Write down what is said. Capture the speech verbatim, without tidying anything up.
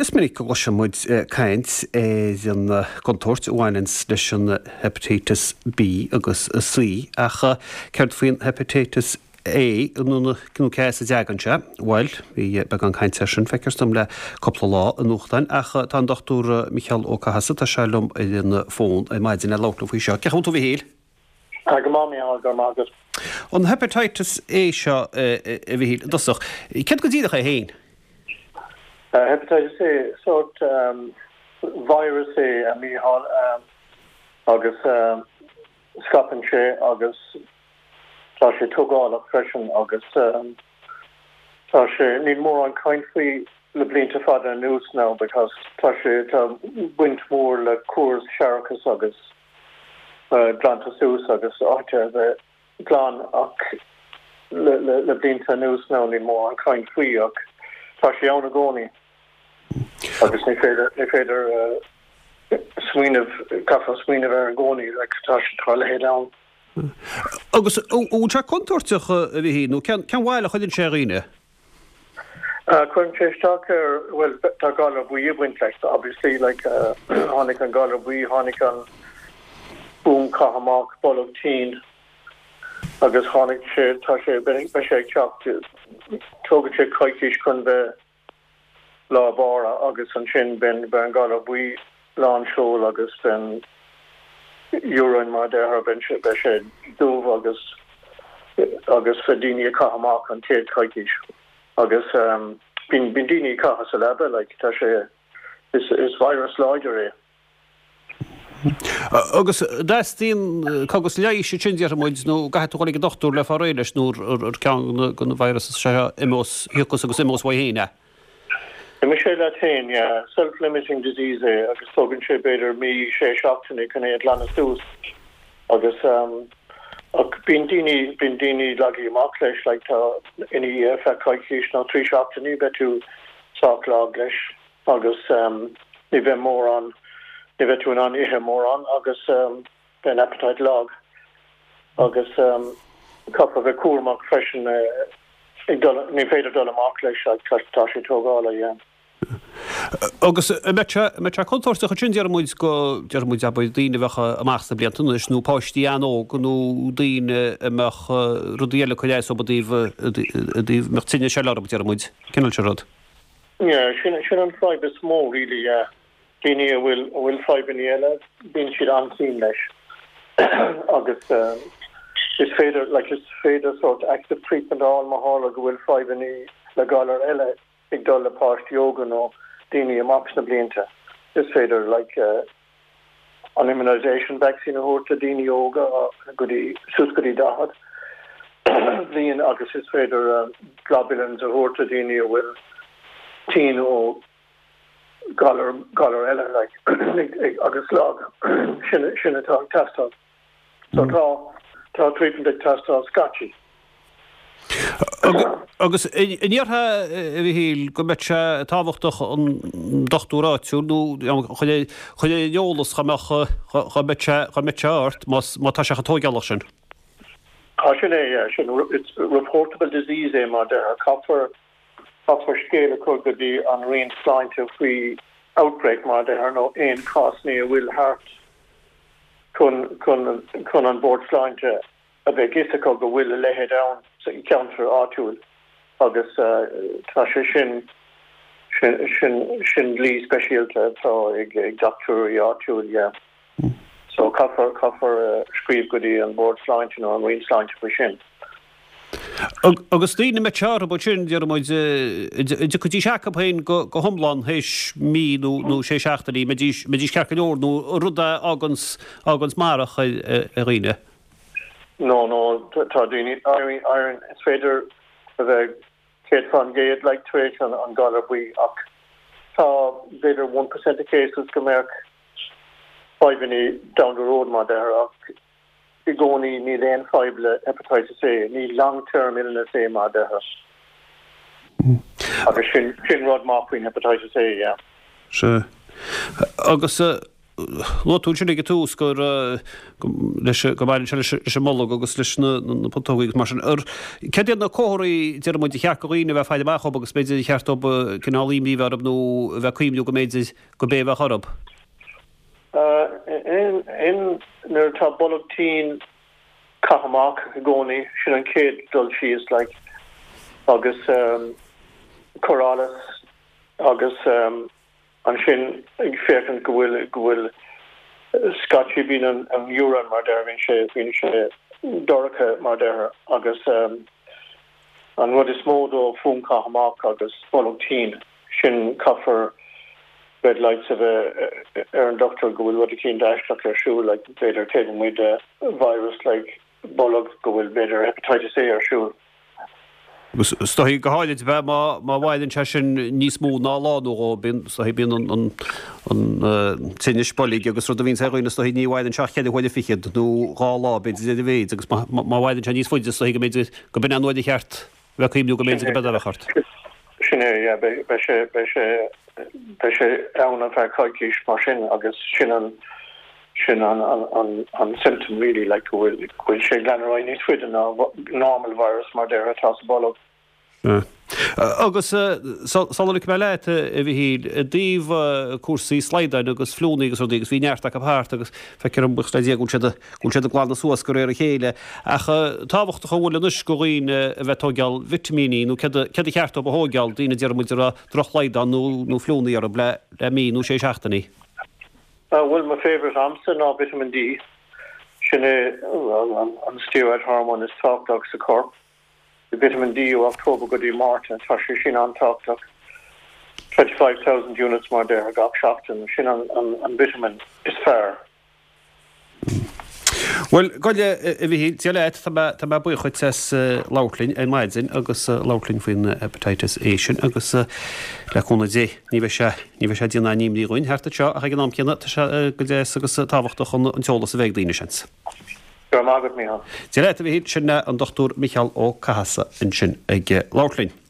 Is minic go gcloiseann muid caint ar an gcontúirt a bhaineanns leis an hepatitis B agus C ach céard faoin hepatitis A nó cé as a dtagann sé? Bhuel, bhí beagán cainte air sin, feictear dom le cúpla lá i nuachtáin ach tá an Dochtúir Micheál Ó Cathasaigh, tá sé liom ar an bhfón ar maidin le labhairt liom faoi seo. Cén chaoi a bhfuil tú a Mhichíl? Go maith, Micheál, go raibh maith agat. An hepatitis A seo, a Mhichíl, i dtosach, céard go díreach é féin? Hepatitis A, sórt virus é, a Mhichíl, agus scaipeann sé agus tá sé tógálach freisin agus tá sé, níl mórán caint faoi le blianta fada anuas now because tá sé, tá baint mhór le córas séarachais agus glantadh suas agus áit a bheith glan ach le le le blianta anuas now níl mórán caint faoi ach tá sé ann i gcónaí agus ní féidir ní féidir smaoineamh, caithfear smaoineamh air i gcónaí like tá sé tá a leithéid ann. Agus an bhfuil sé contúirteach, a Mhichíl, nó cén bhail a chuireann sé ar dhaoine? Cuireann sé isteach ar, bhuel, tá galar buí ag baint leis, obviously, like, tháinig an galar buí, tháinig an boom caith amach, bolg tinn, agus tháinig sé, tá sé, beidh sé ag teacht, tógann sé coicís chun bheith lá bára agus ansin beidh an galar buí lán seol agus beidh an urine mar a déarfá, beidh sé, beidh sé dubh agus agus beidh daoine ag caitheamh amach an chéad choicís agus bíonn bíonn daoine ag caitheamh sa leaba like tá sé is is virus láidir é. Agus an dteastaíonn cógas leighis ansin déarfaidh muid nó caithfidh tú dhul ag an dochtúir le fáil réidh leis nó ar ceann de na viruses seo imeos thiocfas agus imeos uaidh féin é? Imeoidh sé leat féin, yeah. Self-limiting disease é agus tógann sé b'fhéidir mí, sé seachtaine chun é a ghlanadh suas agus ach bíonn daoine, bíonn daoine lagaithe amach leis like tá ina dhiaidh feadh coicís nó trí seachtainí beidh tú sách lag leis agus ní bheidh mórán, ní bheidh tú in ann ithe mórán agus beidh an appetite lag agus caithfear bheith cúramach freisin ag dul, ní féidir dul amach leis like tá sé tógálach, yeah. Agus an mbeadh sé, an mbeadh sé contúirteach ansin déarfaidh muid go, déarfaidh muid abair daoine a bheadh amach sna blianta anois nó páistí an-óg nó daoine a mbeadh rudaí eile ag cur as dóibh i dtaobh, i dtaobh, mbeadh tinnis eile orthu déarfaidh muid, cineál sin rud. Yeah, sin, sin an fadhb is mó really, yeah. Daoine a bhfuil, a bhfuil fadhbanna eile, bíonn siad an-tinn leis agus is féidir, like is féidir sort active treatment a fháil má tharla go bhfuil fadhbanna le galar eile ag dul le páistí óga nó daoine amach sna blianta. Is féidir like an immunisation vaccine a thabhairt do daoine óga go dtí, suas go dtí daichead bliain agus is féidir globulins a thabhairt do daoine a bhfuil tinn ó galar, galar eile like agus lag. Sin, sin atá ag teastáil. So tá, tá treatment ag teastáil scaití. Agus an ndéarfá, a Mhichíl, go mbeadh sé tábhachtach an dochtúir áitiúil nó chun é chur ar an eolas dá mbeadh dá mbeadh sé dá mbeadh sé ort más má tá sé chomh tógálach sin? Tá sin é, yeah, sin it's reportable disease é mar deirtear. Caithfear caithfear scéal a chur go dtí an Roinn Sláinte faoi outbreak mar deirtear nó aon cásanna a bhfuil thart chun chun chun an Bord Sláinte a bheith fhios acu go bhfuil a leithéid ann sa cheantar áitiúil agus tá sé sin sin sin sin dlí speisialta atá ag ag dochtúirí áitiúil yeah. So caithfear caithfear scríobh go dtí an Bord Sláinte nó an Roinn Sláinte faoi sin. Agus daoine a mbeadh sé orthu ansin, déarfaidh muid, an dtiocfaidís acu féin go go hiomlán théis mí nó nó sé seachtainí, mbeidís mbeidís ceart go leor nó rud a fháganns fháganns marach ar ar dhaoine? No, no, tá daoine, éiríonn, éiríonn, is féidir a bheith céad faoin gcéad like tar éis an an galar buí ach tá b'fhéidir one percent of cases go mbeadh fadhbanna down the road mar deirtear ach i gcónaí níl aon fadhb le hepatitis A, ní long term illness é mar deirtear. Agus sin sin rud maith faoin hepatitis A, yeah. Sea. Agus Luaigh tú ansin ag an tús gur leis go mbaineann sé leis an mbolg agus leis na putógaí agus mar sin. Céard iad na comharthaí, deir muid, a cheart do dhaoine a bheith ag faire amach dhóibh agus b'fhéidir a cheart dóibh cineál imní a bheith orthu nó a bheith ag cuimhniú go mb'fhéidir go b'é a bheadh orthu? Aon nuair atá bolg tinn caith amach i gcónaí, sin an chéad dul síos like agus cur allas agus ansin ag féachaint go bhfuil go bhfuil scaití bíonn an an urine mar deir bíonn sé bíonn sé dorcha mar deir agus an rud is mó dó fuaim caith amach agus bolg tinn sin caithfear red lights a bheith ar an dochtúir go bhfuil rud eicínt aisteach ar siúl like b'fhéidir taobh amuigh de virus like bolg go bhfuil b'fhéidir hepatitis A ar siúl. Agus is dóichí go háirid bheith má má mhaireann sé sin níos mó ná lá nó dhó, bíonn is dóichí bíonn an an an tinneas boilg agus rud a bhíonns ar dhaoine is dóichí ní mhaireann sé ach ceithre huaire fichead nó dhá lá b'fhéidir ar a mhéid agus má má mhaireann sé níos faide is dóichí go mb'fhéidir go b'in an uair a cheart bheith ag cuimhniú go mb'fhéidir go b'é a bheadh ort. Sin é, yeah, beidh beidh sé beidh sé beidh sé ann ar feadh coicís mar sin agus sin an sin an an an an symptom really like go bhfuil go bhfuil sé ag leanúint ar aghaidh níos faide ná normal virus mar deir atá sa bolg. Agus sula ligfidh mé leat, a Mhichíl, i dtaobh cúrsaí slaghdáin agus fliúnnaí agus rudaí agus bhí neart acu thart agus feictear dom buíochas le Dia go bhfuil siad go bhfuil siad ag glanadh suas de réir a chéile. Ach tábhachtach an bhfuil anois do dhaoine a bheith ag tóigeáil vitimíní nó céard céard a cheart dóibh a thóigeáil, daoine a deir muid a raibh drochshlaghdán nó nó fliúnnaí orthu le le mí nó sé seachtainí. Bhuel mo favourite a'msa ná vitamin D. Sin é an steroid hormone is tábhachtach sa chorp. Vitamin D ó October go dtí Márta, tá sé sin an-tábhachtach. Twenty five thousand units mar deir gach seachtain, sin an an vitamin is fearr. Bhuel, gabh i leith, a Mhichíl, Dia leat, tá mé, tá mé buíoch dhuit as labhairt linn ar maidin agus labhairt linn faoin hepatitis A sin agus le cúnamh Dé ní bheidh sé, ní bheidh sé ag déanamh aon imní dhúinn thart anseo ach ag an am céanna tá sé go deas agus tábhachtach an t-eolas a bheith ag daoine, seans. Go raibh maith agat, Mícheál. Dia leat, a Mhichíl, sin an Dochtúir Micheál Ó Cathasaigh ansin ag labhairt linn.